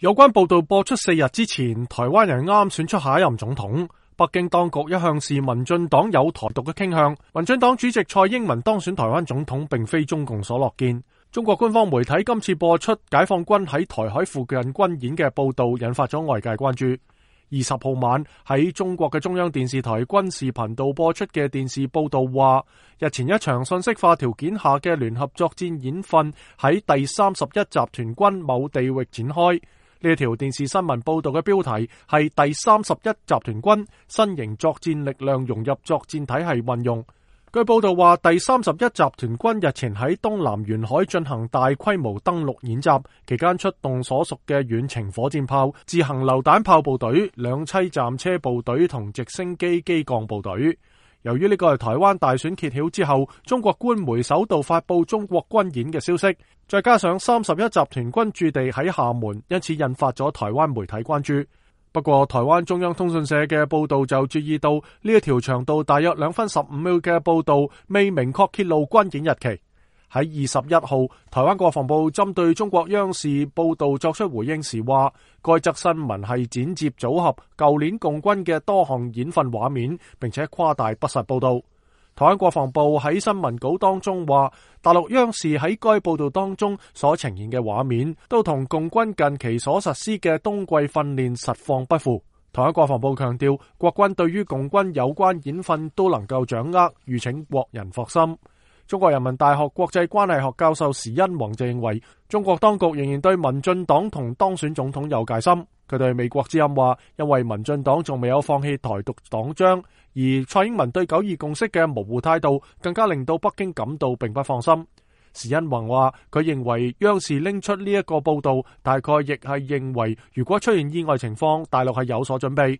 有關報道播出4日之前，台灣人啱選出下一任總統。北京當局一向視民進黨有台獨嘅傾向，民進黨主席蔡英文當選台灣總統並非中共所樂見。中國官方媒體今次播出解放軍喺台海附近軍演嘅報道，引發咗外界關注。20號晚喺中國嘅中央電視台軍事頻道播出嘅電視報道話，日前一場信息化條件下嘅聯合作戰演訓喺第31集團軍某地域展開。呢條電視新聞報道嘅標題係第31集團軍新型作戰力量融入作戰體系運用。據報道話，第31集團軍日前喺東南沿海進行大規模登陸演習，期間出動所屬嘅遠程火箭炮、自行榴彈炮部隊、兩棲戰車部隊同直升機機降部隊。由於呢個係台灣大選揭曉之後，中國官媒首度發佈中國軍演嘅消息，再加上31集團軍駐地喺廈門，因此引發咗台灣媒體關注。不過，台灣中央通訊社嘅報道就注意到呢一條長度大約2分15秒嘅報道未明確揭露軍演日期。喺21號，台灣國防部針對中國央視報道作出回應時話，該則新聞係剪接組合舊年共軍嘅多項演訓畫面，並且誇大不實報道。台灣國防部喺新聞稿當中話，大陸央視喺該報道當中所呈現嘅畫面，都同共軍近期所實施嘅冬季訓練實況不符。台灣國防部強調，國軍對於共軍有關演訓都能夠掌握，籲請國人放心。中國人民大學國際關係學教授時殷弘就認為，中國當局仍然對民進黨同當選總統有戒心。佢對美國之音話，因為民進黨仲未有放棄台獨黨章，而蔡英文對9·2共識嘅模糊態度，更加令到北京感到並不放心。時殷弘話，佢認為央視拎出呢一個報道，大概亦係認為如果出現意外情況，大陸係有所準備。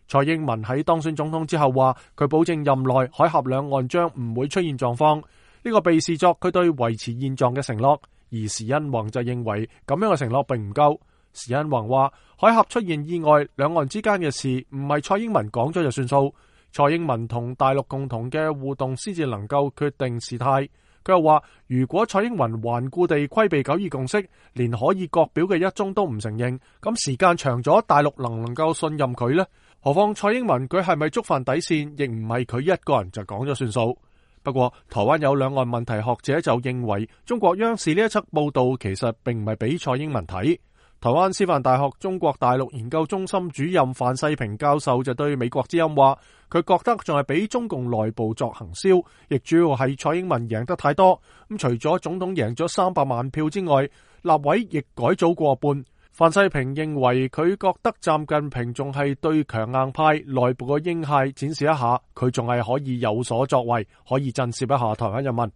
蔡英文喺當選總統之後話，佢保證任內海峽兩岸將唔會出現狀況。呢個被視作佢對維持現狀嘅承諾，而時殷弘就認為咁樣嘅承諾並唔夠。時殷弘話，海峽出現意外，兩岸之間嘅事唔係蔡英文講咗就算數，蔡英文同大陸共同嘅互動先至能夠決定事態。佢又話，如果蔡英文頑固地規避9·2共識，連可以各表嘅一中都唔承認，咁時間長咗，大陸能唔能夠信任佢呢？何況蔡英文佢係咪觸犯底線，亦唔係佢一個人就講咗算數。不過，台灣有兩岸問題學者就認為，中國央視呢一則報道其實並唔係俾蔡英文睇。台灣師範大學中國大陸研究中心主任范世平教授就對美國之音話，佢覺得仲係俾中共內部作行銷，亦主要係蔡英文贏得太多。咁除咗總統贏咗300萬票之外，立委亦改組過半。范世平認為佢覺得習近平仲係對強硬派內部嘅鷹派展示一下，佢仲係可以有所作為，可以震懾一下台灣人民。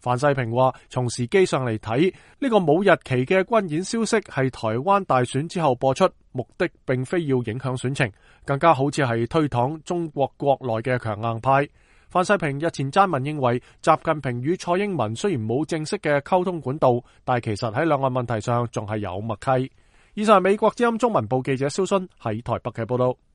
范世平話，從時機上嚟睇，呢個冇日期嘅軍演消息係台灣大選之後播出，目的並非要影響選情，更加好似係推搪中國國內嘅強硬派。范世平日前撰文認為，習近平與蔡英文雖然冇正式嘅溝通管道，但係其實喺兩岸問題上仲係有默契。以上係美國之音中文部記者蕭勳喺台北嘅報道。